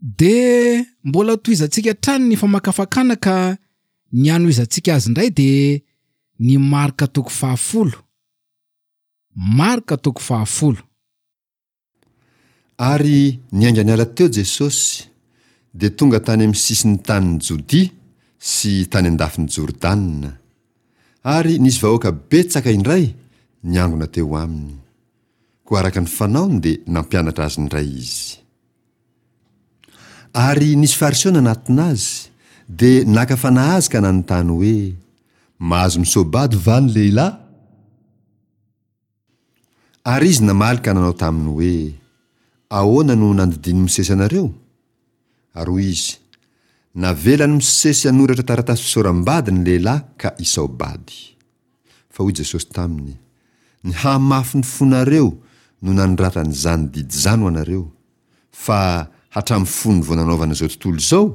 De mbola tohizantsika hatrany ny famakafakana ka ny hanohizantsika azy indray de ny Marka toko fahafolo. Marka toko fahafolo. Ary niainga niala teo Jesosy, dia tonga tany amin'ny sisin'ny tanin'i Jodia sy tany an-dafin'i Jordana. Ary nisy vahoaka betsaka indray niangona teo aminy. Koa araka ny fanaony dia nampianatra azy indray izy. Ary nisy Fariseo nanatona azy, dia naka fanahy azy ka nanontany hoe, Mahazo misoa-bady va ny lehilahy? Ary izy namaly ka nanao taminy hoe, Ahoana no nandidian'i Mosesy anareo? Ary hoy izy, Navelan'i Mosesy hanoratra taratasy fisaoram-bady ny lehilahy ka hisao-bady. Fa hoy Jesosy taminy, Ny hahamafy ny fonareo no nanoratany izany didy izany ho anareo, fa hatramin'ny fony vao nanaovana izao tontolo izao,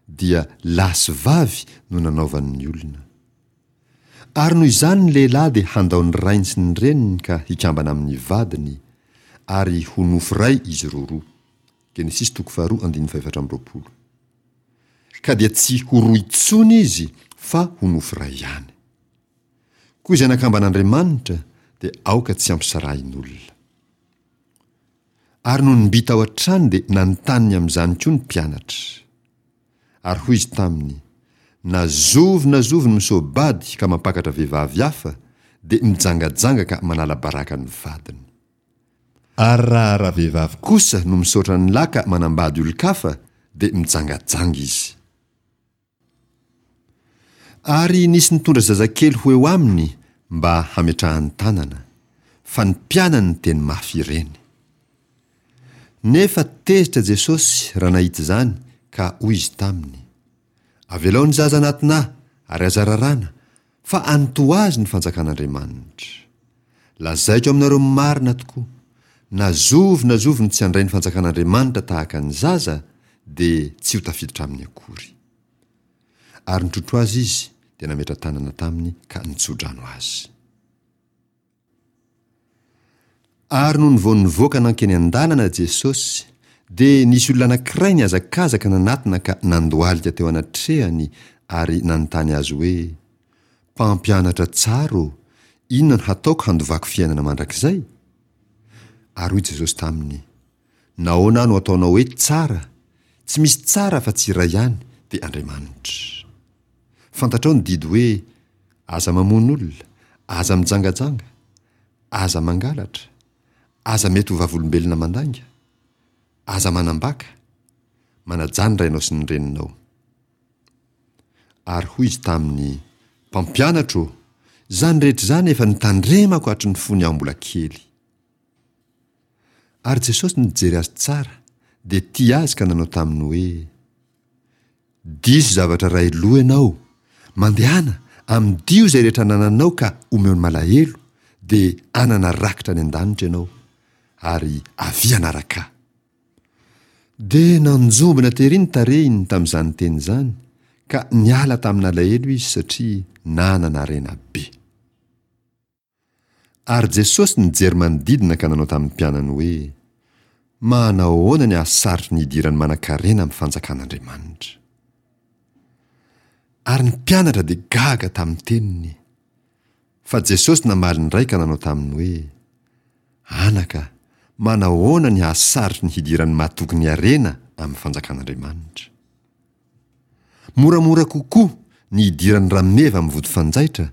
dia lahy sy vavy no nanaovany ny olona. Ary noho izany ny lehilahy dia handao ny rainy sy ny reniny ka hikambana amin'ny vadiny, ary ho nofo iray izy roroa. Genesisy toko faharoa andininy fahefatra amby 20. Ka dia tsy ho roa intsony izy fa ho nofo iray ihany. Koa izay nakamban'Andriamanitra dia aoka tsy hampisarahin'olona. Ary nony mby tao an-trano dia nanontany ny amin'izany koa ny mpianatra. Ary hoy izy taminy, Na zovy na zovy no misoa-bady ka mampakatra vehivavy hafa, dia mijangajanga ka manala baraka ny vadiny. Ary raha ravehivavy kosa no misaotra ny lahy ka manambady olon-kafa, dia mijangajanga izy. Ary nisy nitondra zazakely ho eo aminy mba hametrahany tanana, fa ny mpianany niteny mafy ireny. Nefa tezitra Jesosy raha nahita izany ka hoy Izy taminy, Avelao ny zaza anatinà ary aza raràna, fa any toa azy ny fanjakan'Andriamanitra. Lazaiko aminareo marina tokoa, na zovy na zovy no tsy handray ny fanjakan'Andriamanitra tahaka ny zaza, dia tsy ho tafiditra aminy akory. Ary nitrotro azy izy, dia nametra-tanana taminy ka nitso-drano azy. Ary nony vao nivoaka nankeny an-dalana Jesosy, dia nisy olona anankiray nihazakazaka nanatona ka nandohalika teo anatrehany ary nanontany Azy hoe, Mpampianatra tsara ô, inona no hataoko handovako fiainana mandrakizay? Ary hoy Jesosy taminy, Nahoana aho no ataonao hoe tsara? Tsy misy tsara afa-tsy iray ihany, dia Andriamanitra. Fantatrao ny didy hoe, Aza mamono olona, aza mijangajanga, aza mangalatra, aza mety ho vavolombelona mandainga, aza manambaka, manajà ny rainao sy ny reninao. Ary hoy izy taminy, Mpampianatra ô, izany rehetra izany efa notandremako hatry ny fony aho mbola kely. Ary Jesosy nijery azy tsara, dia tia azy ka nanao taminy hoe, Diso zavatra iray loha ianao, mandehana, amidio izay rehetra anananao ka omeo ny malahelo, dia hanana rakitra any an-danitra ianao, ary avia hanaraka Ahy. Dia nanjombona tery ny tarehiny tamin'izany teny izany, ka niala tamin'alahelo izy satria nanana harena be. Ary Jesosy nijery manodidina ka nanao tamin'ny mpianany hoe, Manao ahoana ny hahasarotry ny hidiran'ny manankarena amin'ny fanjakan'Andriamanitra? Ary ny mpianatra dia gaga tamin'ny teniny. Fa Jesosy namaly indray ka nanao taminy hoe, Anaka, manao ahoana ny hahasarotry ny hidiran'ny mahatoky ny harena amin'ny fanjakan'Andriamanitra? Moramora kokoa ny hidiran'ny rameva amin'ny vody fanjaitra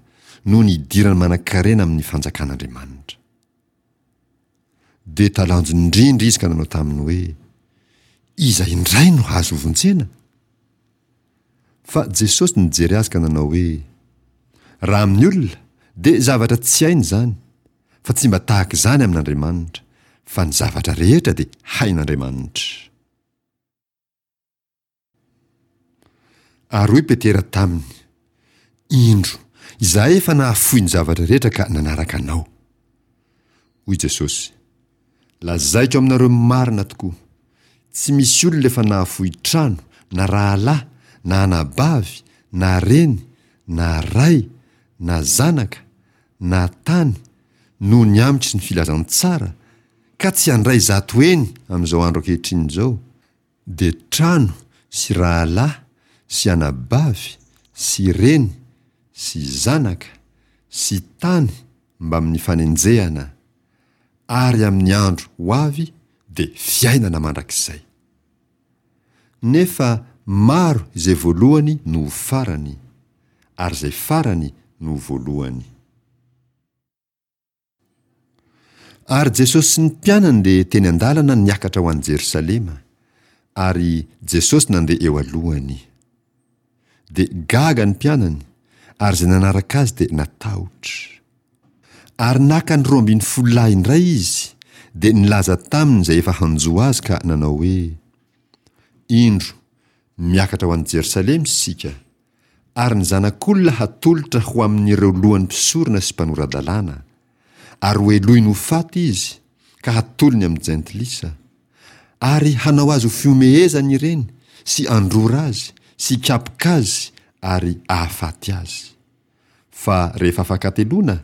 noho ny hidiran'ny manankarena amin'ny fanjakan'Andriamanitra. Dia talanjona indrindra izy ka nanao taminy hoe, Iza indray no hahazo hovonjena? Fa Jesosy nijery azy ka nanao hoe, Raha amin'ny olona, dia zavatra tsy hainy izany, fa tsy mba tahaka izany amin'Andriamanitra, fa ny zavatra rehetra dia hain'Andriamanitra. Ary hoy Petera taminy, Indro, izahay efa nahafoy ny zavatra rehetra ka nanaraka Anao. Hoy Jesosy, Lazaiko aminareo marina tokoa, tsy misy olona efa nahafoy trano, na rahalahy, na anabavy, na reny, na ray, na zanaka, na tany, noho ny amiko sy ny filazantsara, ka tsy handray zato heny amin'izao andro ankehitriny izao. dia trano sy rahalahy sy anabavy sy reny sy zanaka sy tany mbamin'ny fanenjehana, ary amin'ny andro ho avy dia fiainana mandrakizay. Nefa maro izay voalohany no ho farany, ary izay farany no ho voalohany. Ary Jesosy sy ny mpianany dia teny an-dalana niakatra ho any Jerosalema, ary Jesosy nandeha eo alohany. Dia gaga ny mpianany, ary izay nanaraka azy dia natahotra. Ary naka ny 12 lahy indray izy, dia nilaza taminy izay efa hanjo azy ka nanao hoe, Indro, miakatra ho any Jerosalema isika, ary ny Zanak'olona hatolotra ho amin'ireo lohan'ny mpisorona sy mpanora-dalàna, ary hohelohiny ho faty izy, ka hatolony amin'ny jentilisa, ary hanao azy ho fihomehezana ireny, sy handrora azy, sy hikapoka azy, ary hahafaty azy. Fa rehefa afakateloana,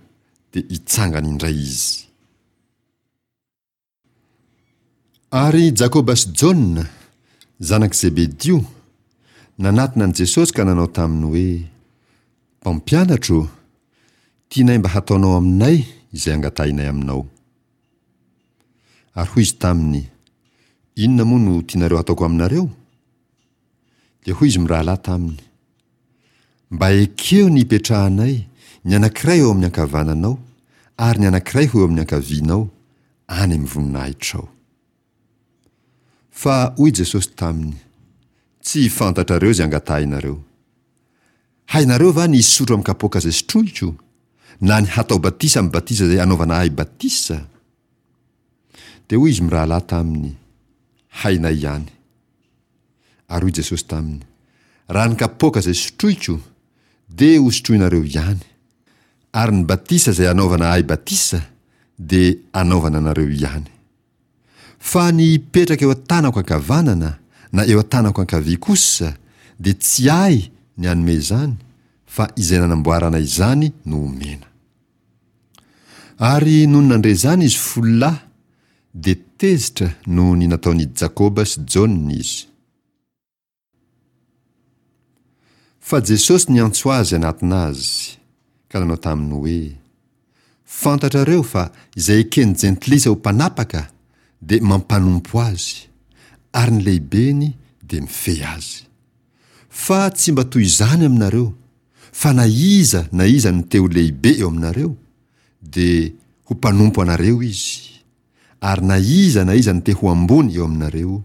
dia hitsangana indray izy. Ary Jakoba sy Jaona, zanak'i Zebedio, nanatona an'i Jesosy ka nanao taminy hoe, Mpampianatra ô, tianay mba hataonao aminay izay angatahinay aminao. Ary hoy izy taminy, Inona moa no tianareo hataoko aminareo? Dia hoy izy mirahalahy taminy, Mba ekeo ny hipetrahanay, ny anankiray eo amin'ny ankavananao, ary ny anankiray ho eo amin'ny ankavianao, any amin'ny voninahitrao. Fa hoy Jesosy taminy, Tsy fantatrareo izay angatahinareo. Hainareo va ny hisotro amin'ny kapoaka izay sotroiko, na ny hatao batisa amin'ny batisa izay anaovana ahy batisa? Dia hoy izy mirahalahy taminy, Hainay ihany. Ary hoy Jesosy taminy, Raha ny kapoaka izay sotroiko, dia hosotroinareo ihany, ary ny batisa izay anaovana ahy batisa, dia anaovana anareo ihany. Fa ny hipetraka eo an-tanako ankavanana na eo an-tanako ankavia kosa, dia tsy ahy ny hanome izany, fa izay nanamboarana izany no omena. Ary nony nandre izany izy folo lahy, dia tezitra noho ny nataon'i Jakoba sy Jaona izy. Fa Jesosy niantso azy hanatona azy, ka nanao taminy hoe, Fantatrareo fa izay eken'ny jentilisa ho mpanapaka dia mampanompo azy, ary ny lehibeny dia mifehy azy. Fa tsy mba toy izany aminareo, fa na iza na iza no te ho lehibe eo aminareo, dia ho mpanompo anareo izy, ary na iza na iza no te ho ambony eo aminareo,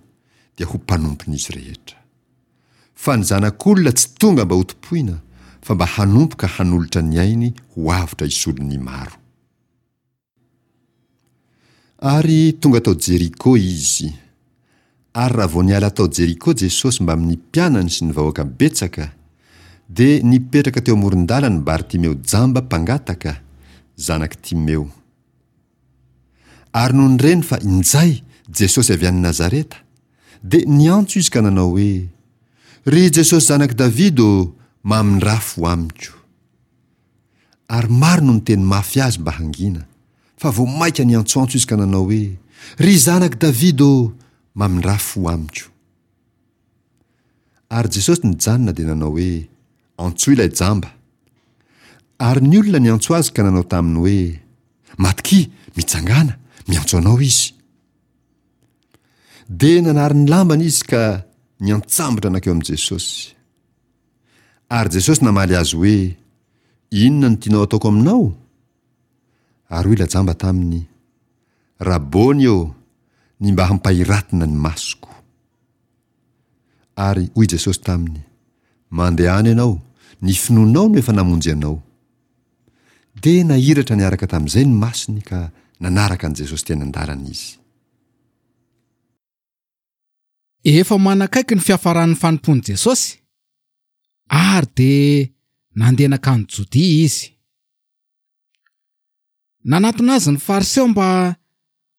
dia ho mpanompon'izy rehetra. Fa ny Zanak'olona tsy tonga mba hotompoina, fa mba hanompo ka hanolotra ny ainy ho avotra hisolo ny maro. Ary tonga tao Jeriko izy. Ary raha vao niala tao Jeriko Jesosy mbamin'ny mpianany sy ny vahoaka betsaka, dia nipetraka teo amoron-dalany Bartimeo jamba mpangataka, zanak'i Timeo. Ary nony reny fa injay Jesosy avy any Nazareta, dia niantso izy ka nanao hoe, Ry Jesosy zanak'i Davida ô, mamindrafo amiko. Ary maro no niteny mafy azy mba hangina, fa vao mainka niantsoantso izy ka nanao hoe, Ry zanak'i Davida ô, mamindrà fo amiko. Ary Jesosy nijanona dia nanao hoe, Antsoy ilay jamba. Ary ny olona niantso azy ka nanao taminy hoe, Matokia, mitsangàna, miantso anao izy. Dia nanary ny lambany izy ka niantsambotra nankeo amin'i Jesosy. Ary Jesosy namaly azy hoe, Inona no tianao hataoko aminao? Ary hoy ilay jamba taminy, Rabôny ô, ny mba hampahiratina ny masoko. Ary hoy Jesosy taminy, Mandehana ianao, ny finoanao no efa namonjy anao. Dia nahiratra niaraka tamin'izay ny masony ka nanaraka an'i Jesosy teny an-dalana izy. Efa manakaiky ny fiafaran'ny fanompoan'i Jesosy, ary dia nandeha nankany Jodia izy. Nanatona azy ny Fariseo mba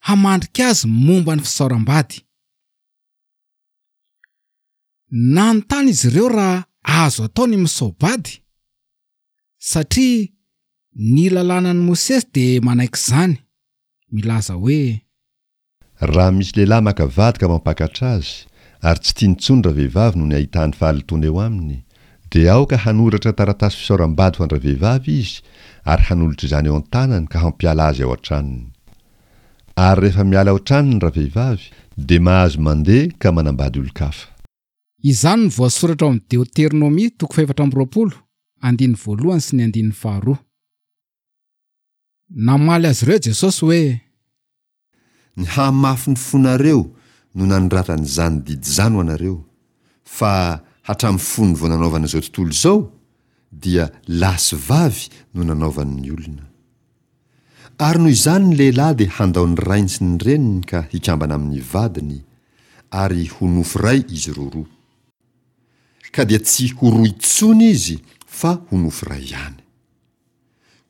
hamandrika azy momba ny fisaoram-bady. Nanontany izy ireo raha azo atao ny misao-bady, satria ny lalànan'i Mosesy dia manaiky izany, milaza hoe. Raha misy lehilahy maka vady ka mampakatra azy, Ary tsy tiany intsony ravehivavy noho ny ahitany fahalotoana eo aminy, dia aoka hanoratra taratasy fisaoram-bady ho an-dravehivavy izy ary hanolotra izany eo an-tanany ka hampiala azy ao an-tranony. Ary rehefa miala ao an-tranony ravehivavy, dia mahazo mandeha ka manambady olon-kafa. Izany no voasoratra ao amin'ny Deoteronomia toko fahefatra amby 20, andininy voalohany sy ny andininy faharoa. Namaly azy ireo Jesosy hoe. Ny hahamafy ny fonareo no nanoratany izany didy izany ho anareo, fa hatramin'ny fony vao nanaovana izao tontolo izao, dia lahy sy vavy no nanaovany ny olona. Ary noho izany ny lehilahy dia handao ny rainy sy ny reniny ka hikambana amin'ny vadiny, ary ho nofo iray izy roroa. Ka dia tsy ho roa intsony izy fa ho nofo iray ihany.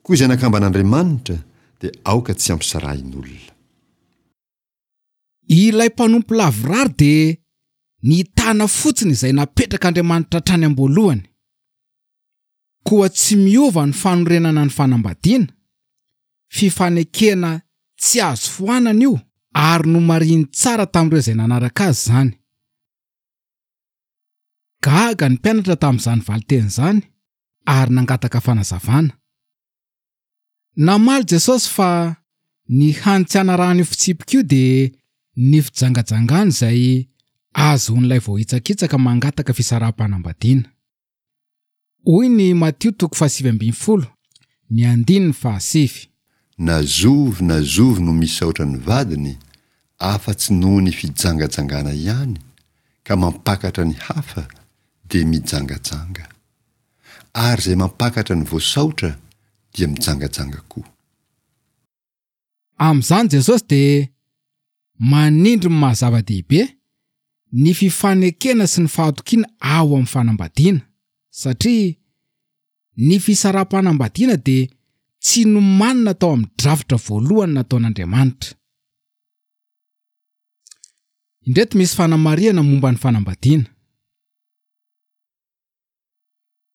Koa izay nakamban'Andriamanitra dia aoka tsy hampisarahin'olona. Ilay mpanompo lavorary dia nitana fotsiny izay napetrak'Andriamanitra hatrany am-boalohany. Koa tsy miova ny fanorenana ny fanambadiana, fifanekena tsy azo foanana io ary nomarihiny tsara tamin'ireo izay nanaraka azy izany. Gaga ny mpianatra tamin'izany valinteny izany ary nangataka fanazavana. Namaly Jesosy fa ny hany tsy hanarahana io fitsipika io dia ny fijangajangana izay ahazoan'ilay voahitsakitsaka mangataka fisaraham-panambadiana. Hoy ny Matio toko fahasivy ambin'ny folo, ny andininy fahasivy. Na zovy na zovy no misaotra ny vadiny, afa-tsy noho ny fijangajangana ihany, ka mampakatra ny hafa, dia mijangajanga. Ary izay mampakatra ny voasaotra dia mijangajanga koa. Amin'izany Jesosy dia manindry ny maha zava-dehibe ny fifanekena sy ny fahatokiana ao amin'ny fanambadiana, satria ny fisaraham-panambadiana dia tsy nomanina tao amin'ny drafitra voalohany nataon'Andriamanitra. Indreto misy fanamarihana momba ny fanambadiana.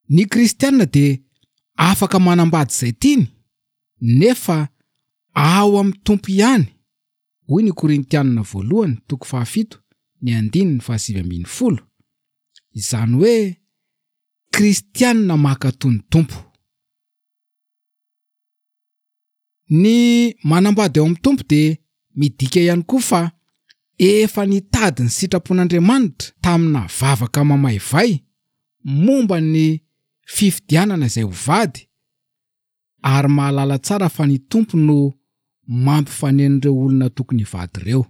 Ny kristiana dia afaka manambady izay tiany nefa ao amin'ny Tompo ihany, hoy ny Korintianina voalohany toko fahafito ny andininy fahasivy ambin'ny folo, izany hoe kristiana mankatò ny Tompo. Ny manambady ao amin'ny Tompo dia midika ihany koa fa efa nitady ny sitrapon'Andriamanitra tamina vavaka mamaivay momba ny fifidianana izay ho vady ary mahalala tsara fa ny Tompo no mampifaneno ireo olona tokony hivady ireo.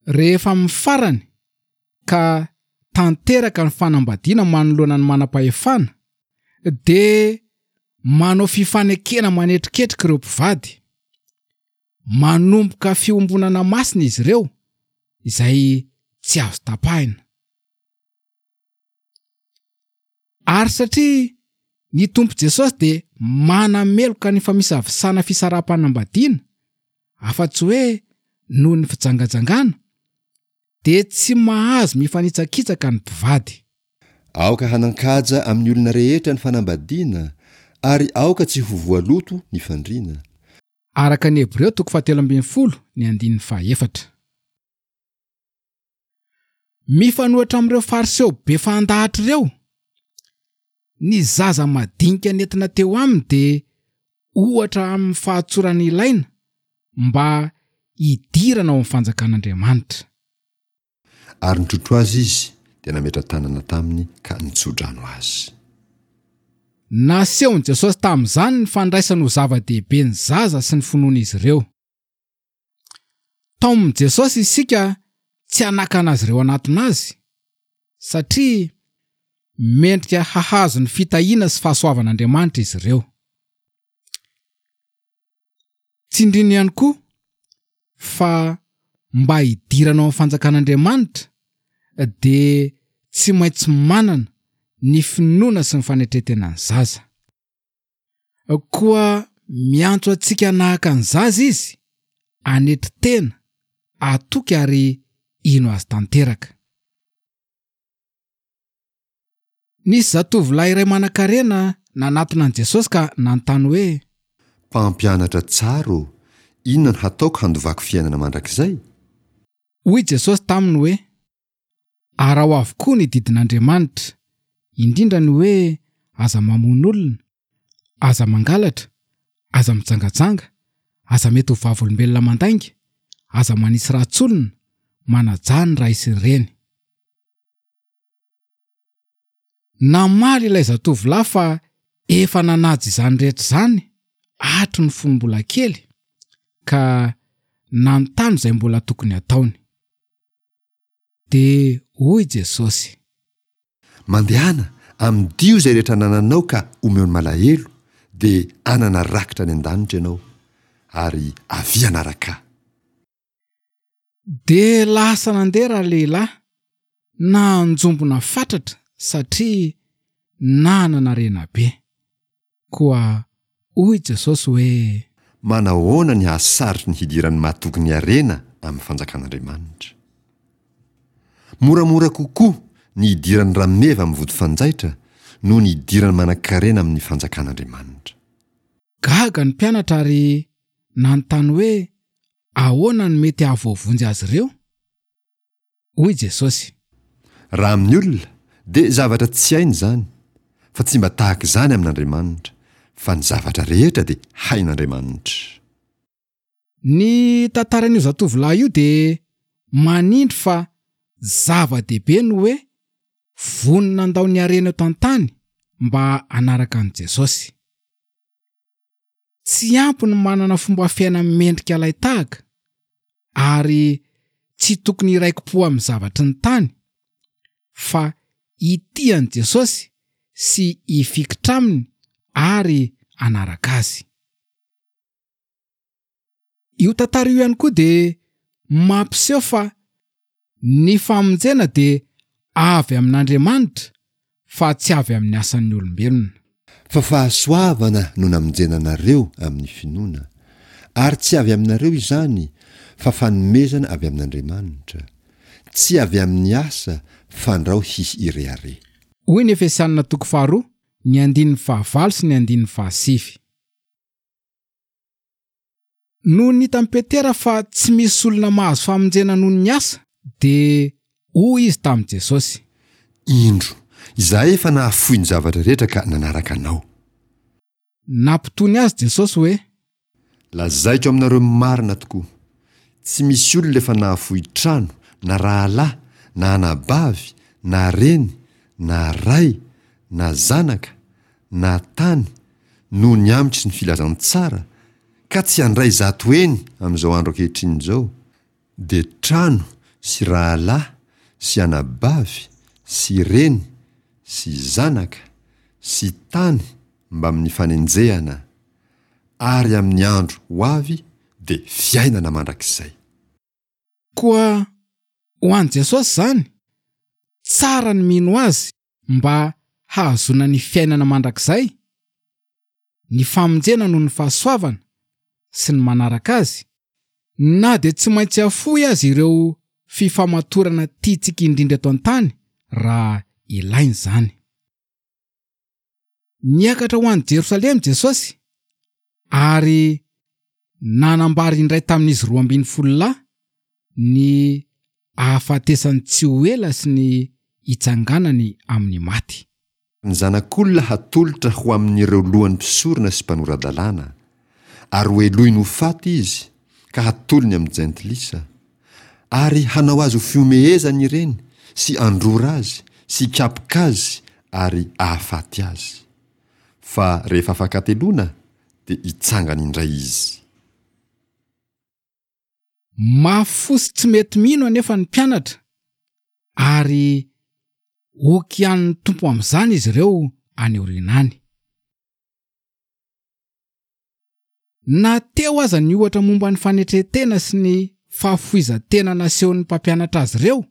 Rehefa amin'ny farany ka tanteraka ny fanambadiana manoloana ny manam-pahefana dia manao fifanekena manetriketrika ireo mpivady. Manomboka fiombonana masina izy ireo izay tsy azo tapahina. Ary satria ny Tompo Jesosy dia manameloka ny famisavisana fisaraham-panambadiana, afa-tsy hoe noho ny fijangajangana, dia tsy mahazo mifanitsakitsaka ny mpivady. Aoka hanan-kaja amin'ny olona rehetra ny fanambadiana, ary aoka tsy ho voaloto ny fandriana. Araka ny Hebreo toko fahatelo ambin'ny folo ny andininy fahaefatra. Mifanohitra amin'ireo Fariseo be fandahatra ireo, ny zaza madinika nentina teo aminy dia ohatra amin'ny fahatsorana ilaina mba hidirana ao amin'ny fanjakan'Andriamanitra. Ary nitrotro azy izy, dia nametra-tanana taminy ka nitso-drano azy. Nasehon'i Jesosy tamin'izany ny fandraisany ho zava-dehibe ny zaza sy ny finoan'izy ireo. Taomin'i Jesosy isika tsy hanakana azy ireo hanatona Azy, satria mendrika hahazo ny fitahiana sy fahasoavan'Andriamanitra izy ireo. Tsindriny ihany koa fa mba hidirana ao amin'ny fanjakan'Andriamanitra dia tsy maintsy manana ny finoana sy ny fanetren-tenan'ny zaza. Koa miantso antsika hanahaka ny zaza izy, hanetry tena, hatoky ary hino azy tanteraka. Nisy zatovolahy iray manankarena nanatona an'i Jesosy ka nanontany hoe. Mpampianatra tsara ô, inona no hataoko handovako fiainana mandrakizay? Hoy Jesosy taminy hoe, Araho avokoa ny didin'Andriamanitra, indrindra ny hoe aza mamono olona, aza mangalatra, aza mijangajanga, aza mety ho vavolombelona mandainga, aza manisy ratsy olona, manajà ny ray sy ny reny. Namaly ilay zatovolahy fa efa nanaja izany rehetra izany hatry ny fony mbola kely, ka nanontany izay mbola tokony hataony. Dia hoy Jesosy. Mandehana, amidio izay rehetra anananao ka omeo ny malahelo, dia hanana rakitra any an-danitra ianao, ary avia hanaraka Ahy. Dia lasa nandeha ralehilahy, nanjombona fatratra satria nanana harena be. Koa hoy Jesosy hoe. Manahoana ny hahasarotry ny hidiran'ny mahatoky ny harena amin'ny fanjakan'Andriamanitra? Moramora kokoa ny hidiran'ny rameva amin'ny vody fanjaitra noho ny hidiran'ny manankarena amin'ny fanjakan'Andriamanitra. Gaga ny mpianatra ary nanontany hoe ahoana no mety hahavoavonjy azy ireo? Hoy Jesosy. Raha amin'ny olona, dia zavatra tsy hainy izany, fa tsy mba tahaka izany amin'Andriamanitra, fa ny zavatra rehetra dia hain'Andriamanitra. Ny tantaran'io zatovolahy io dia manindry fa zava-dehibe ny hoe vonona handao ny harena eto an-tany mba hanaraka an'i Jesosy. Tsy ampy ny manana fomba fiaina mendrika alain-tahaka ary tsy tokony hiraiki-po amin'ny zavatry ny tany, fa hitia an'i Jesosy sy hifikitra aminy ary hanaraka azy. Io tantara io ihany koa dia mampiseho fa ny famonjena dia avy amin'Andriamanitra fa tsy avy amin'ny asan'ny olombelona. Fa fahasoavana no namonjena anareo amin'ny finoana, ary tsy avy aminareo izany, fa fanomezana avy amin'Andriamanitra, tsy avy amin'ny asa, fandrao hisy hirehareha. Hoy ny Efesianina toko faharoa, ny andininy fahavalo sy ny andininy fahasivy. Nony hitan'i Petera fa tsy misy olona mahazo famonjena noho ny asa, dia hoy izy tamin'i Jesosy. Indro, izahay efa nahafoy ny zavatra rehetra ka nanaraka Anao. Nampitony azy Jesosy hoe. Lazaiko aminareo marina tokoa, tsy misy olona efa nahafoy trano, na rahalahy, na anabavy, na reny, na ray, na zanaka, na tany, noho ny amiko sy ny filazantsara, ka tsy handray 100 heny amin'izao andro ankehitriny izao, dia trano sy rahalahy sy anabavy sy reny sy zanaka sy tany mbamin'ny fanenjehana, ary amin'ny andro ho avy dia fiainana mandrakizay. Koa ho an'i Jesosy izany, tsara ny mino Azy mba hahazoana ny fiainana mandrakizay, ny famonjena noho ny fahasoavana sy ny manaraka azy, na dia tsy maintsy afoy aza ireo fifamatorana tiantsika indrindra eto an-tany raha ilaina izany. Niakatra ho any Jerosalema Jesosy ary nanambara indray tamin'izy 12 lahy ny hahafatesany tsy ho ela sy ny hitsanganany amin'ny maty. Ny Zanak'olona hatolotra ho amin'ireo lohan'ny mpisorona sy mpanora-dalàna, ary hohelohiny ho faty izy, ka hatolony amin'ny jentilisa. Ary hanao azy ho fihomehezana ireny, sy handrora azy, sy hikapoka azy, ary hahafaty azy. Fa rehefa afakateloana, dia hitsangana indray izy. Mafy fo sy tsy mety mino anefa ny mpianatra ary hokianin'ny Tompo amin'izany izy ireo any aoriana any. Na teo aza ny ohatra momba ny fanetren-tena sy ny fahafoizan-tena nasehon'ny mpampianatra azy ireo,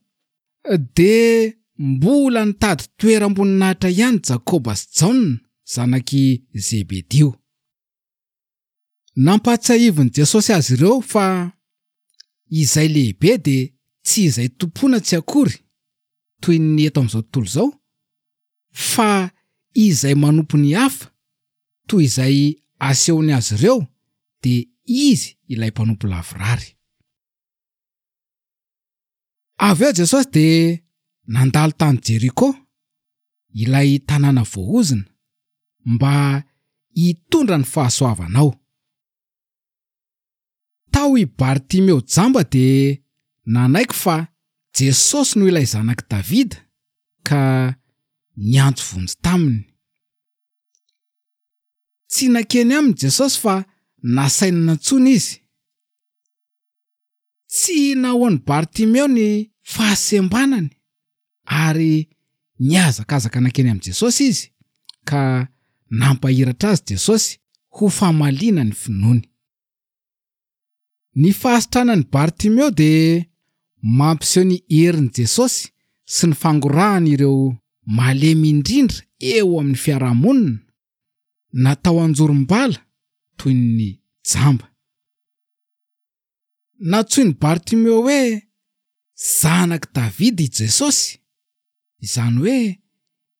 dia mbola nitady toeram-boninahitra ihany Jakoba sy Jaona, zanak'i Zebedio. Nampahatsiahivin'i Jesosy azy ireo fa izay lehibe dia tsy izay tompoina tsy akory, toy ny eto amin'izao tontolo izao, fa izay manompo ny hafa toy izay asehony azy ireo dia izy ilay mpanompo lavorary. Avy eo Jesosy dia nandalo tany Jeriko, ilay tanàna voaozona, mba hitondra ny fahasoavana ao. Tao i Bartimeo jamba dia nanaiky fa Jesosy no ilay Zanak'i Davida ka niantso vonjy taminy. Tsy nankeny aminy Jesosy fa nasainy nantsoina izy. Tsy nahoan'i Bartimeo ny fahasembanany ary nihazakazaka nankeny amin'i Jesosy izy ka nampahiratra azy Jesosy ho famaliana ny finoany. Ny fahasitranan'i Bartimeo dia mampiseho ny herin'i Jesosy sy ny fangorahany ireo malemy indrindra eo amin'ny fiarahamonina, natao anjorom-bala toy ny jamba. Nantsoin'i Bartimeo hoe Zanak'i Davida i Jesosy, izany hoe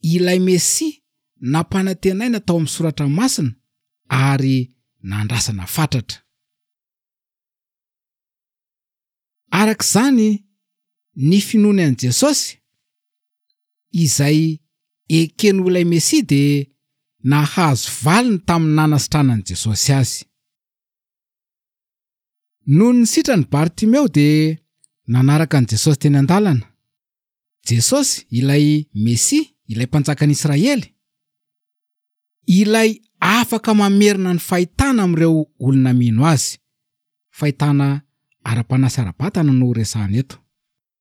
ilay Mesia nampanantenaina tao amin'ny Soratra Masina ary nandrasana fatratra. Araka izany, ny finoany an'i Jesosy, izay ekeny ho ilay Mesia dia nahazo valiny tamin'ny nanasitranan'i Jesosy azy. Nony nisitrany Bartimeo dia nanaraka an'i Jesosy teny an-dalana. Jesosy, ilay Mesia, ilay Mpanjakan'i Israely, ilay afaka mamerina ny fahitana amin'ireo olona mino Azy. Fahitana ara-panahy sy ara-batana no resahana eto.